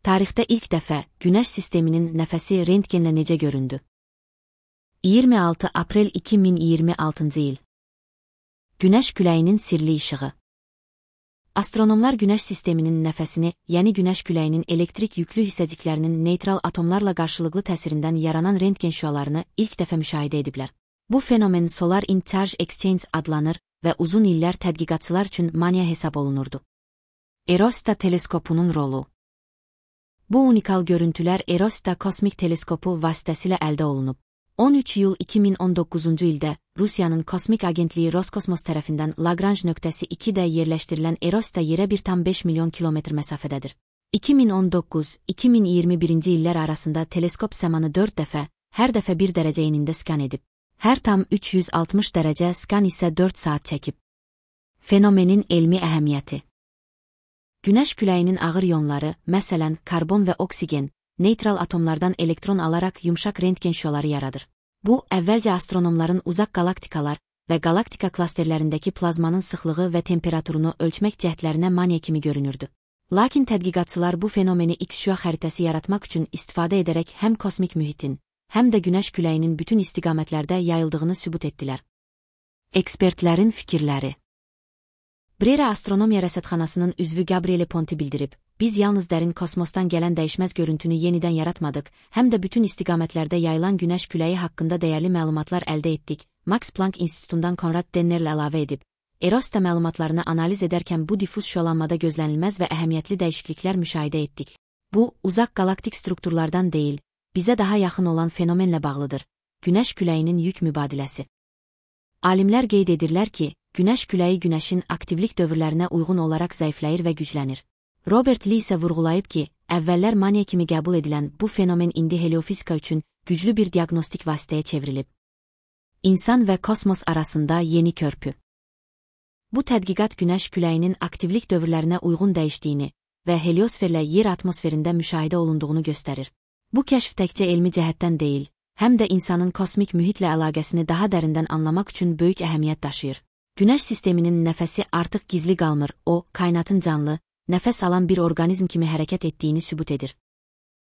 Tarixdə ilk dəfə Günəş sisteminin nəfəsi rentgenlə necə göründü? 26 aprel 2026-cı il. Günəş küləyinin sirli işığı. Astronomlar Günəş sisteminin nəfəsini, yəni Günəş küləyinin elektrik yüklü hissəciklərinin neytral atomlarla qarşılıqlı təsirindən yaranan rentgen şüalarını ilk dəfə müşahidə ediblər. Bu fenomen Solar in Charge Exchange adlanır və uzun illər tədqiqatçılar üçün maniya hesab olunurdu. Erosta teleskopunun rolu. Bu unikal görüntülər Erosta kosmik teleskopu vasitəsilə əldə olunub. 13 iyul 2019-cu ildə Rusiyanın kosmik agentliyi Roskosmos tərəfindən Lagrange nöqtəsi 2-də yerləşdirilən Erosta yerə 1,5 milyon kilometr məsafədədir. 2019-2021-ci illər arasında teleskop səmanı 4 dəfə, hər dəfə 1 dərəcə enində skan edib. Hər tam 360 dərəcə skan isə 4 saat çəkib. Fenomenin elmi əhəmiyyəti. Günəş küləyinin ağır ionları, məsələn, karbon və oksigen, neytral atomlardan elektron alaraq yumşaq rentgen şüaları yaradır. Bu, əvvəlcə astronomların uzaq qalaktikalar və galaktika klasterlərindəki plazmanın sıxlığı və temperaturunu ölçmək cəhdlərinə maniya kimi görünürdü. Lakin tədqiqatçılar bu fenomeni X-şüa xəritəsi yaratmaq üçün istifadə edərək həm kosmik mühitin, həm də Günəş küləyinin bütün istiqamətlərdə yayıldığını sübut etdilər. Ekspertlərin fikirləri. Brera Astronomiya Rəsədxanasının üzvü Gabriele Ponti bildirib, biz yalnız dərin kosmosdan gələn dəyişməz görüntünü yenidən yaratmadıq, həm də bütün istiqamətlərdə yayılan Günəş küləyi haqqında dəyərli məlumatlar əldə etdik. Max Planck İnstitutundan Konrad Dennerlə əlavə edib, Erosta məlumatlarını analiz edərkən bu difuz şüalanmada gözlənilməz və əhəmiyyətli dəyişikliklər müşahidə etdik. Bu, uzaq galaktik strukturlardan deyil, bizə daha yaxın olan fenomenlə bağlıdır. Günəş küləyinin yük mübadiləsi. Alimlər qeyd edirlər ki, Günəş küləyi Günəşin aktivlik dövrlərinə uyğun olaraq zəifləyir və güclənir. Robert Lee isə vurğulayıb ki, əvvəllər maniya kimi qəbul edilən bu fenomen indi heliofizika üçün güclü bir diaqnostik vasitəyə çevrilib. İnsan və kosmos arasında yeni körpü. Bu tədqiqat Günəş küləyinin aktivlik dövrlərinə uyğun dəyişdiyini və heliosferlə yer atmosferində müşahidə olunduğunu göstərir. Bu kəşf təkcə elmi cəhətdən deyil, həm də insanın kosmik mühitlə əlaqəsini daha dərindən anlamaq üçün böyük əhəmiyyət daşıyır. Günəş sisteminin nəfəsi artıq gizli qalmır, o, kainatın canlı, nəfəs alan bir orqanizm kimi hərəkət etdiyini sübut edir.